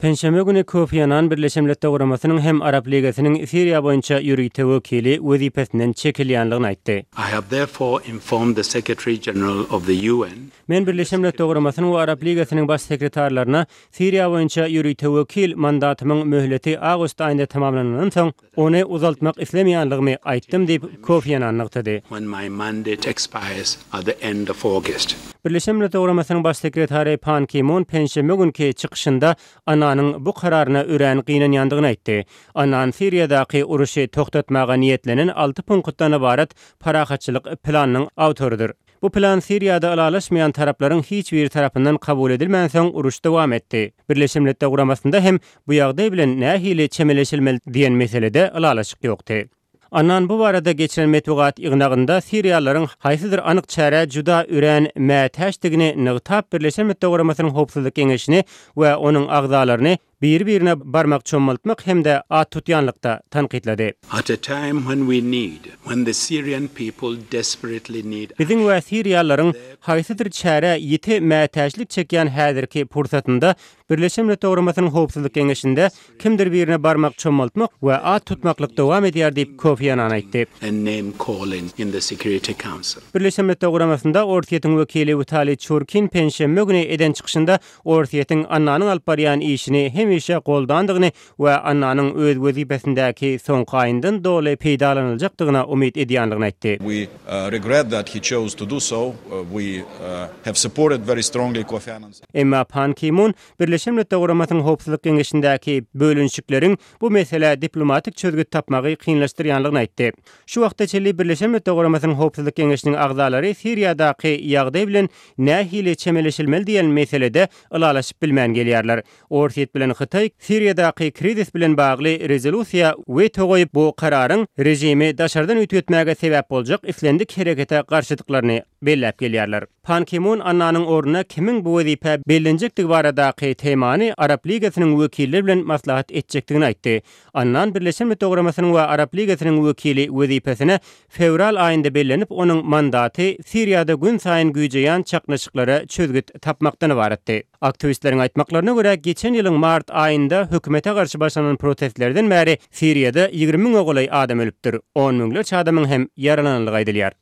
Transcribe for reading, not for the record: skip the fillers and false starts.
Penşenbe güni Kofi Annan Birleşen Milletler Guramasynyň hem Arap Ligasynyň Siriýa boýunça ýörite wekili wezipesinden çekilýänligini aýtdy. I have therefore informed the Secretary General of the UN. Men Birleşen Milletler Guramasynyň we Arap Ligasynyň Baş sekretarlaryna Siriýa boýunça ýörite wekil mandatymyň möhleti awgust aýynda tamamlanandan soň, Ony uzaltmak islemeýänligimi aýtdym diýip, Kofi Annan nygtady. When my mandate expires at the end of August. Birleşen Milletler Guramasynyň Baş sekretary Pan Ki Mun penşenbe günki çykyşynda Annanyň bu kararyna örän gynanýandygyny aýtdy. Annan Siriýadaky uruşy togtatmaga niýetlenen alty punktdan ybarat parahatçylyk planynyň awtorydyr. Bu plan Siriýada ylalaşmaýan taraplaryň hiç biri tarapyndan kabul edilmänsoň uruş dowam etdi. Birleşen Milletler Guramasynda hem bu ýagdaý bilen nähili çemeleşilmeli diýen meselede ylalaşyk ýokdy. Annan bu barada geçiren metbugat ýygnagynda siriýalylaryň haýsydyr anyk çärä juda örän mätäçdigini nygtap Birleşen Milletler Guramasynyň Howpsuzlyk Geňeşini we onuň agzalaryny biri-birine barmak çommaltmak hem-de at tutýanlykda tankytlady. At a time when we need, when the Syrian people desperately need Biziň we siriýalylaryň haýsydyr çärä ýiti mätäçlik çekýän häzirki pursatynda Birleşen Milletler Guramasynyň Howpsuzlyk Geňeşinde kimdir birine barmak çommaltmak we at tutmaklyk dowam edýär diýip, Kofi Annan aýtdy. and name calling in the Security Council. Birleşen Milletler Guramasynda Orsýetiň wekili Witaliý Çurkin penşenbe güni eden çykyşynda Orsýetiň Annanyň alyp barýan işini hemişe goldandygyny we Annanyň öz wezipesindäki soňky aýyndan doly peýdalanyljakdygyna umyt edýändigini aýtdy. We regret that he chose to do so. We have supported very strongly Kofi Annan's. Emma Pan Ki Mun Birleşen Milletler Guramasynyň Howpsuzlyk Geňeşindäki bölünişikleriň bu meselä diplomatik çözgüt tapmagy kynlaşdyrýanlygyny aýtdy. Şu wagta çenli Birleşen Milletler Guramasynyň Howpsuzlyk Geňeşiniň agzalary Siriýadaky ýagdaý bilen nähili çemeleşilmeli diýen meselede ylalaşyp bilmän gelýärler. Orsýet bilen Hytaý Siriýadaky krizis bilen bagly rezolýusiýa weto goýup, bu kararyň režimi daşardan üýtgetmäge sebäp boljak islendik herekete garşydyklaryny belläp gelýärler. Pan Ki Mun Annanyň ornuna kimiň bu wezipä bellenjekdigi baradaky temany Arap Ligasynyň wekilleri bilen maslahat etjekdigini aýtdy. Annan Birleşen Milletler Guramasynyň we Arap Ligasynyň wekili wezipesine fewral aýynda bellenip, onuň mandaty Siriýada günsaýyn güýjeýän çaknyşyklara çözgüt tapmakdan ybaratdy. Aktiwistleriň aýtmaklaryna görä, geçen ýylyň mart aýynda hökümete garşy başlanan protestlerden bäri Siriýada 20 müňe golaý adam ölüpdir, on müňlerçe adamyň hem ýaralanandygy aýdylýar.